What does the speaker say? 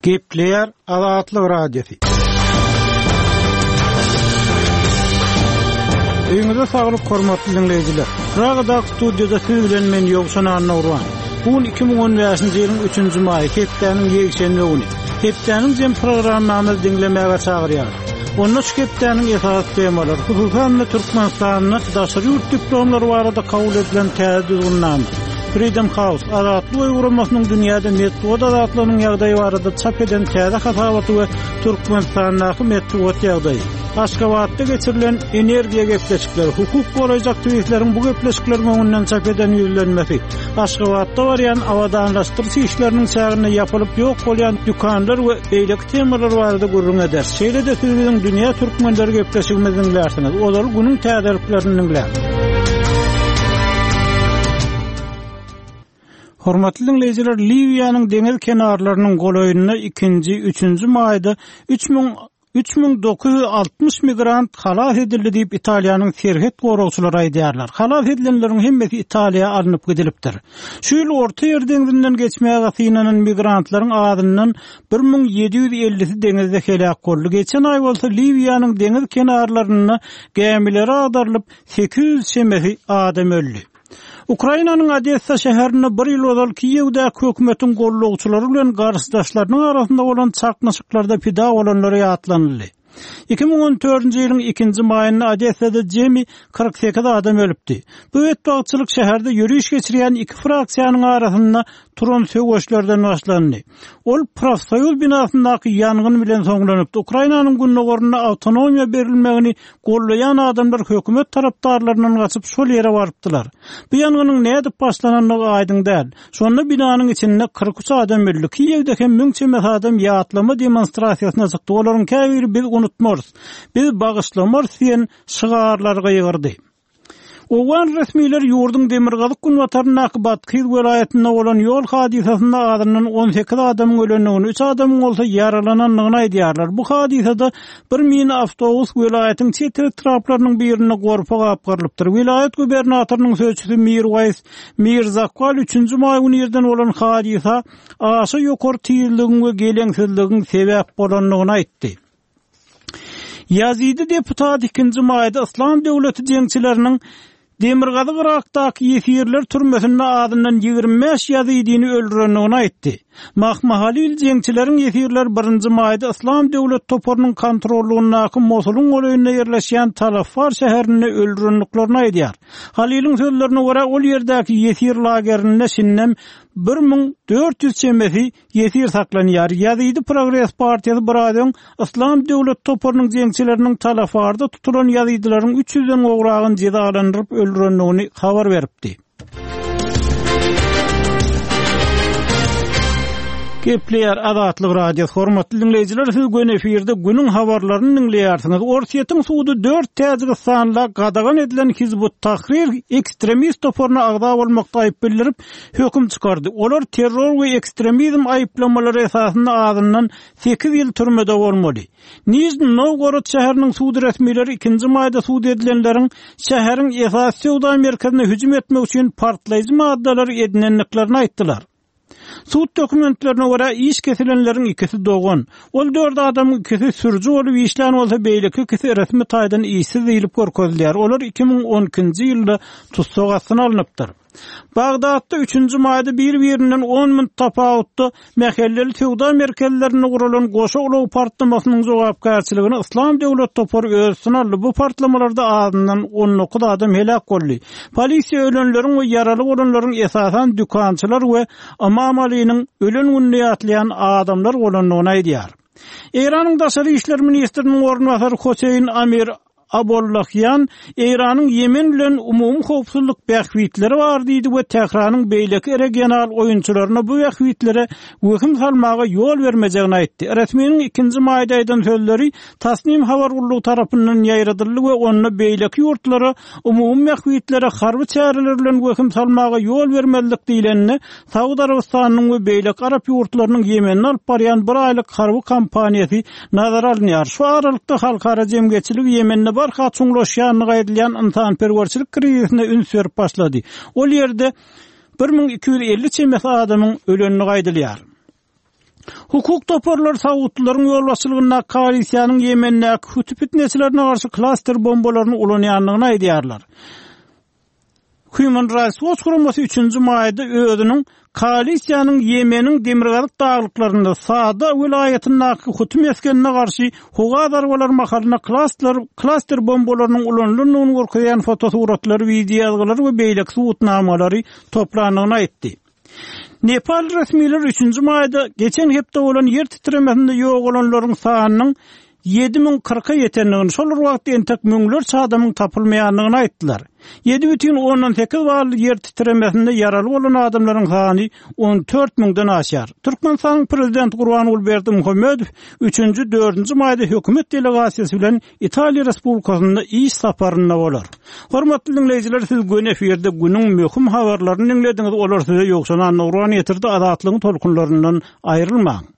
Gepleýär Azatlyk Radiosy. Öýüňize saglyk hormatly diňleýjiler. Pragadaky studiýada siz bilen men Ýowşan Annagurban. Bu gün 2015-nji ýylyň 3-nji maýy, hepdäniň ýekşenbe güni. Hepdäniň jem programmamyzy diňlemäge çagyrýarys. Onda şu hepdäniň esasy temalary, hususan-da Türkmenistanda daşary ýurt diplomlary barada kabul edilen täze düzgünnama, Freedom House, Azatlyk öýi guramasynyň dünýäde metbugat azatlygynyň ýagdaýy barada çap eden täze hasabaty we Türkmenistandaky metbugat ýagdaýy. Aşgabatda geçirilen energiýa gepleşikleri, hukuk goraýjy aktiwistleriň bu gepleşikleriň öňünden çap eden ýüzlenmesi, Aşgabatda barýan abadanlaşdyryş işleriniň çäginde ýapylyp ýok bolýan dükanlar we beýleki temalar barada gürrüň ederis. Şeýle-de siz biziň Dünýä türkmenleri gepleşigimizi diňlärsiňiz. Ozal günüň täzeliklerini diňläň. Hormatly diňleýjiler, Liwiýanyň deňiz kenarlarynyň golaýynda ikinji, üçünji maýda 3000 3960 migrant halas edildi diýip, Italiýanyň serhet goragçylary aýdýarlar. Halas edilenleriň hemmesi Italiýa alnyp gidilipdir. Şu ýyl Orta Ýer deňzinden geçmäge synanan migrantlaryň azyndan 1750-si deňizde heläk boldy. Geçen aý bolsa Liwiýanyň deňiz kenarlarynda gämileri agdarylyp, 800 çemesi adam öldi. Ukrainanyň Odessa şäherinde bir ýyl ozal Kiýewdäki hökümetiň gollagçylary bilen garşydaşlarynyň arasynda bolan çaknyşyklarda pida bolanlar ýatlanyldy. 2014-nji ýylyň ikinji maýynda Odessada jemi 48 adam ölüpdi. Bu betbagtçylyk şäherde ýöriş geçirýän iki fraksiýanyň arasynda turan söweşlerden başlandy. Ol profsoýuz binasyndaky ýangyn bilen soňlanypdy. Ukrainanyň gündogarynda awtonomiýa berilmegini gollaýan adamlar hökümet tarapdarlaryndan gaçyp şol ýere barypdylar. Bu ýangynyň nädip başlanandygy aýdyň däl. Şonda binanyň içinde 43 adam öldi. Kiýewde hem müň çemesi adam ýatlama demonstrasiýasyna çykdy. Olaryň käbiri biz unutmarys, biz bagyşlamarys diýen şygarlary gygyrdy. Owgan resmileri ýurduň demirgazyk-günbataryndaky Bathyz welaýatynda bolan ýol hadysasynda azyndan 18 adamyň ölendigini, üç adamyň bolsa ýaralanandygyny aýdýarlar. Bu hadysada bir mini awtobus welaýatyň çet etraplarynyň birinde gorpa gapgarylypdyr. Welaýat gubernatorynyň sözçüsi Mirwaýs Mirzakwal üçünji maý güni irden bolan hadysa aşa ýokary tizligiň we geleňsizligiň sebäp bolandygyny aýtdy. Ýazidi deputat ikinji maýda Yslam döwleti jeňçileriniň Demirgazyk Yrakdaky ýesirler türmesinde azyndan 25 ýazidini öldürendigini aýtdy. Mahma Halil jeňçileriň ýesirleri birinji maýda Yslam döwlet toparynyň kontrollygyndaky Mosulyň golaýynda ýerleşýän Talafar şäherinde öldürendiklerini aýdýar. Haliliň sözlerine görä, ol ýerdäki ýesir lagerinde şindem 1400 çemesi ýesir saklanýar. Ýazidi Progres partiýasy biraz öň Yslam döwlet toparynyň jeňçileriniň Talafarda tutulan ýazidilaryň üç ýüzden gowragyny jezalandyryp öldürendigini habar beripdi. Gepleýär Azatlyk Radiosy. Hormatly diňleýjiler, siz göni efirde günüň habarlaryny diňleýärsiňiz. Orsýetiň sudy dört täjigistanla gadagan edilen Hizb ut-Tahrir ekstremist toparyna agza bolmakda aýyp bildirip, höküm çykardy. Olar terror we ekstremizm aýyplamalary esasynda azyndan sekiz ýyl türmede bolmaly. Nižniý Nowgorod şäheriniň sud resmileri ikinji maýda sud edilenleriň şäheriň esasy söwda merkezine hüjüm etmek üçin partlaýjy maddalary edinendiklerini aýtdylar. Sud dokumentlerine görä, iş kesilenleriň ikisi dogan. Ol dört adamyň ikisi sürüji bolup işlän bolsa, beýleki ikisi resmi taýdan işsiz diýlip görkezilýär. Olar 2012-nji ýylda tussag astyna alnypdyr. Bagdatda üçünji maýda bir-birinden on minut tapawutda mähelleli söwda merkezlerinde guralan goşa ulag partlamasynyň jogapkärçiligini Yslam döwlet topary öz üstüne aldy. Bu partlamalarda azyndan 19 adam heläk boldy. Polisiýa ölenleriň we ýaraly bolanlaryň esasan dükançylar we Ymam Alynyň ölen gününi ýatlaýan adamlar bolandygyny aýdýar. Eýranyň daşary işler ministriniň orunbasary Hoseýn Amir Abollahian Eýranyň Ýemen bilen umumy howpsuzlyk bähbitleri bar diýdi we Tähranyň beýleki regional oýunçylaryna bu bähbitlere wehim salmaga ýol bermejegini aýtdy. Resminiň ikinji maýda aýdan sözleri Tasnim habar gullugy tarapyndan ýaýradyldy we onda beýleki ýurtlara umumy bähbitlere harby çäreler bilen wehim salmaga ýol bermezlik diýlende Saud Arabystanynyň we beýleki arap ýurtlarynyň Ýemende alyp barýan bir aýlyk harby kampaniýasy nazara alynýar. Şu aralykda, halkara jemgyýetçiligi Ýemende barha çuňlaşýandygy aýdylýan ynsanperwerçilik krizisine üns berip başlady. Ol ýerde 1250 çemesi adamyň ölendigi aýdylýar. Hukuk toparlary saudlylaryň ýolbaşçylygyndaky koalisiýanyň Ýemendäki huti pitneçilerine garşy klaster bombalaryny ulanýandygyny aýdýarlar. Human Rights Watch guramasy üçünji maýda özüniň koalisiýanyň Ýemeniň demirgazyk daglyklarynda Saada welaýatyndaky huti mesgenine garşy howa zarbalary mahalynda klaster klaster bombalarynyň ulanylandygyny görkezýän fotosuratlary, wideoýazgylary we beýleki subutnamalary toplandygyny aýtdy. Nepal resmileri üçünji maýda geçen hepde bolan ýer titremesinde ýogalanlaryň sanynyň 7040-a ýetendigini, şol bir wagtda entek müňlerçe adamyň tapylmaýandygyny aýtdylar. 7,8 bally ýer titremesinde ýaraly bolan adamlaryň sany 14 müňden aşýar. Türkmenistanyň Prezidenti Gurbanguly Berdimuhamedow üçünji, dördünji maýda hökümet delegasiýasy bilen Italiýa Respublikasynda iş saparynda bolar. Hormatly diňleýjiler, siz göni efirde günüň möhüm habarlaryny diňlediňiz, olar size Ýowşan Annagurban ýetirdi, Azatlygyň tolkunlaryndan aýrylmaň.